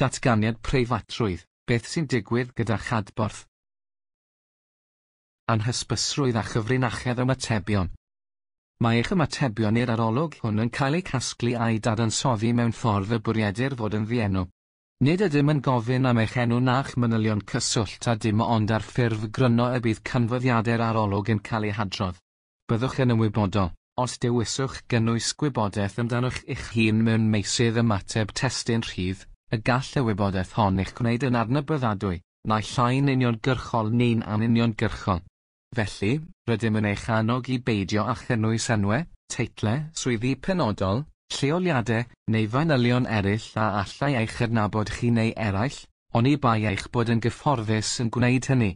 Datganiad preifatrwydd, beth sy'n digwydd gyda'ch adborth? Anhysbysrwydd a chyfrinachedd ymatebion. Mae eich ymatebion i'r arolwg hwn yn cael eu casglu a'u dadansoddi mewn ffordd y bwriedir fod yn ddienw. Nid ydym yn gofyn am eich enw na'ch manylion cyswllt a dim ond ar ffurf gryno y bydd canfyddiadau'r arolwg yn cael eu hadrodd. Byddwch yn ymwybodol, os dewiswch gynnwys gwybodaeth amdanoch eich hun mewn meysydd ymateb testun rhydd, y gall y wybodaeth hon eich gwneud yn adnabyddadwy, naill ai'n uniongyrchol neu'n anuniongyrchol. Felly, rydym yn eich annog i beidio â chynnwys enwau, teitlau, swyddi penodol, lleoliadau, neu fanylion eraill a allai eich adnabod chi neu eraill, oni bai eich bod yn gyfforddus yn gwneud hynny.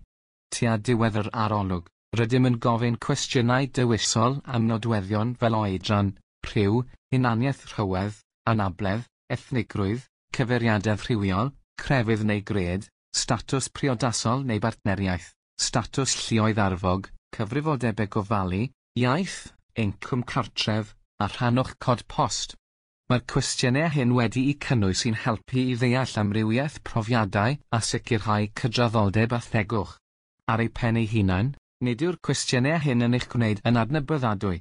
Tua diwedd yr arolwg, rydym yn gofyn cwestiynau dewisol am nodweddion fel oedran, rhyw, hunaniaeth rhywedd, anabledd, ethnigrwydd, cyfeiriadedd rhywiol, crefydd neu gred, statws priodasol neu bartneriaeth, statws lluoedd arfog, cyfrifoldebau gofalu, iaith, incwm cartref, a rhan o'ch cod post. Mae'r cwestiynau hyn wedi'u cynnwys i'n helpu i ddeall amrywiaeth profiadau a sicrhau cydraddoldeb a thegwch. Ar eu pen eu hunain, nid yw'r cwestiynau hyn yn eich gwneud yn adnabyddadwy.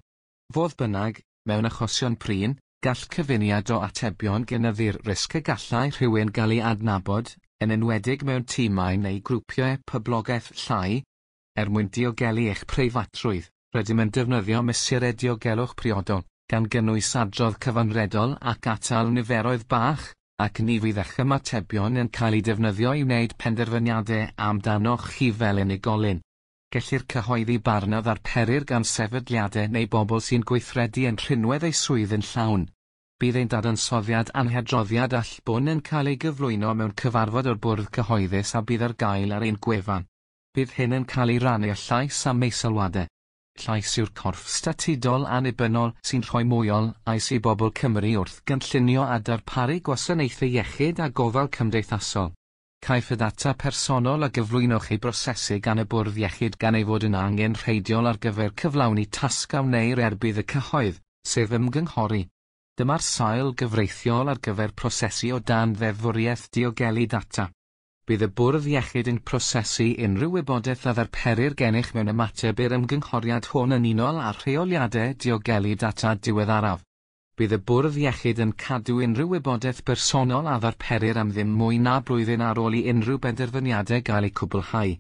Fodd bynnag, mewn achosion prin, gall cyfuniad o atebion gynyddu'r risg y gallai rhywun gael ei adnabod, yn enwedig mewn timau neu grwpiau poblogaeth llai. Er mwyn diogelu eich preifatrwydd, rydym yn defnyddio mesurau diogelwch priodol, gan gynnwys adrodd cyfanredol ac atal niferoedd bach, ac ni fydd eich ymatebion yn cael eu defnyddio i wneud penderfyniadau amdanoch chi fel unigolyn. Gellir cyhoeddi barn a ddarperir gan sefydliadau neu bobl sy'n gweithredu yn rhinwedd eu swydd yn llawn. Bydd ein dadansoddiad a'n hadroddiad allbwn yn cael ei gyflwyno mewn cyfarfod o'r Bwrdd Cyhoeddus a bydd ar gael ar ein gwefan. Bydd hyn yn cael ei rannu â Llais am ei sylwadau. Llais yw'r corff statudol annibynnol sy'n rhoi mwy o lais i bobl Cymru wrth gynllunio a darparu gwasanaethau iechyd a gofal cymdeithasol. Caiff y data personol a gyflwynwch ei brosesu gan y Bwrdd Iechyd gan ei fod yn angenrheidiol ar gyfer cyflawni tasg a wneir er budd y cyhoedd, sef ymgynghori. Dyma'r sail gyfreithiol ar gyfer prosesu o dan ddeddfwriaeth diogelu data. Bydd y Bwrdd Iechyd yn prosesu unrhyw wybodaeth a ddarperir gennych mewn ymateb i'r ymgynghoriad hwn yn unol â'r rheoliadau diogelu data diweddaraf. Bydd y Bwrdd Iechyd yn cadw unrhyw wybodaeth bersonol a ddarperir am ddim mwy na blwyddyn ar ôl i unrhyw benderfyniadau gael eu cwblhau.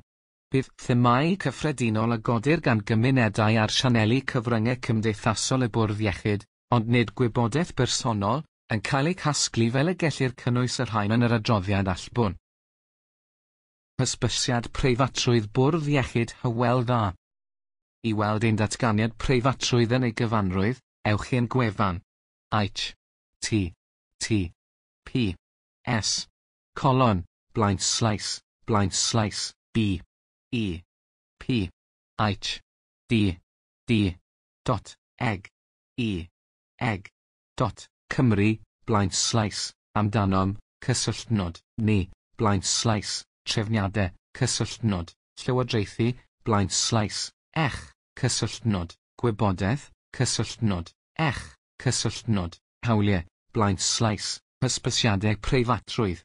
Bydd themâu cyffredinol a godir gan gymunedau ar sianeli cyfryngau cymdeithasol y Bwrdd Iechyd, ond nid gwybodaeth bersonol, yn cael eu casglu fel y gellir cynnwys y rhain yn yr adroddiad allbwn. Hysbysiad preifatrwydd Bwrdd Iechyd Hywel Dda. I weld ein datganiad preifatrwydd yn ei gyfanrwydd, ewch i'n gwefan H T T P S colon blaen slaes blaen slaes B E P H D D dot eg E eg dot Cymru blaen slaes amdanom cysylltnod ni blaen slaes trefniadau cysylltnod llywodraethu blaen slaes ech cysylltnod gwybodaeth cysylltnod ech cysylltnod hawliau blaen slaes hysbysiadau preifatrwydd.